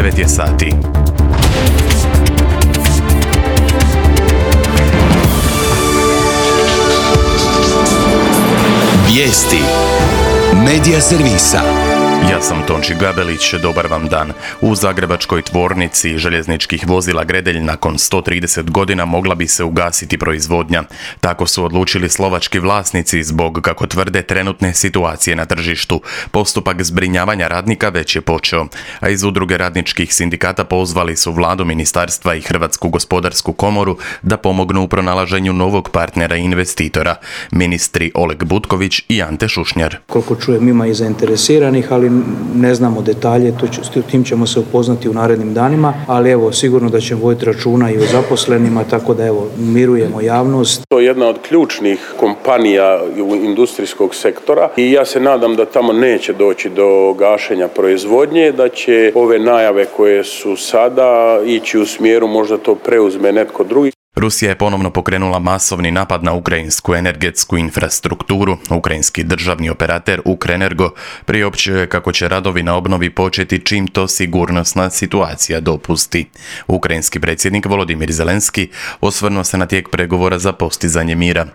9 je sati. Vijesti Medija servisa. Ja sam Tonči Gabelić, dobar vam dan. U zagrebačkoj tvornici željezničkih vozila Gredelj nakon 130 godina mogla bi se ugasiti proizvodnja. Tako su odlučili slovački vlasnici zbog, kako tvrde, trenutne situacije na tržištu. Postupak zbrinjavanja radnika već je počeo, a iz udruge radničkih sindikata pozvali su vladu, ministarstva i Hrvatsku gospodarsku komoru da pomognu u pronalaženju novog partnera i investitora. Ministri Oleg Butković i Ante Šušnjar. Koliko čujem, ima i zainteresiranih, ali ne znamo detalje, s tim ćemo se upoznati u narednim danima, ali evo, sigurno da ćemo voditi računa i o zaposlenima, tako da evo, mirujemo javnost. To je jedna od ključnih kompanija industrijskog sektora i ja se nadam da tamo neće doći do gašenja proizvodnje, da će ove najave koje su sada ići u smjeru možda to preuzme netko drugi. Rusija je ponovno pokrenula masovni napad na ukrajinsku energetsku infrastrukturu. Ukrajinski državni operater Ukrenergo priopćio je kako će radovi na obnovi početi čim to sigurnosna situacija dopusti. Ukrajinski predsjednik Volodimir Zelenski osvrnuo se na tijek pregovora za postizanje mira.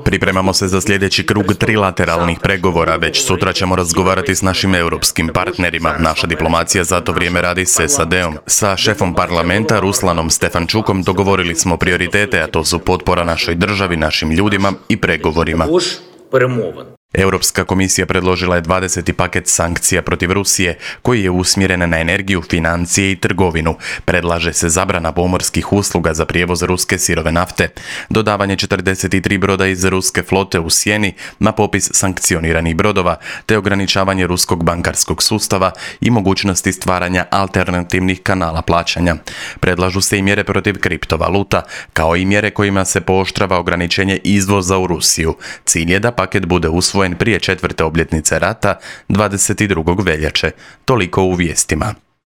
Pripremamo se za sljedeći krug trilateralnih pregovora. Već sutra ćemo razgovarati s našim europskim partnerima. Naša diplomacija za to vrijeme radi s SAD-om. Sa šefom parlamenta Ruslanom Stefančukom dogovorili smo prioritete, a to su potpora našoj državi, našim ljudima i pregovorima. Europska komisija predložila je 20. paket sankcija protiv Rusije, koji je usmjeren na energiju, financije i trgovinu. Predlaže se zabrana pomorskih usluga za prijevoz ruske sirove nafte, dodavanje 43 broda iz ruske flote u sjeni na popis sankcioniranih brodova, te ograničavanje ruskog bankarskog sustava i mogućnosti stvaranja alternativnih kanala plaćanja. Predlažu se i mjere protiv kriptovaluta, kao i mjere kojima se pooštrava ograničenje izvoza u Rusiju. Cilj je da paket bude usvojen prije 4. obljetnice rata 22. veljače. Toliko u vijestima.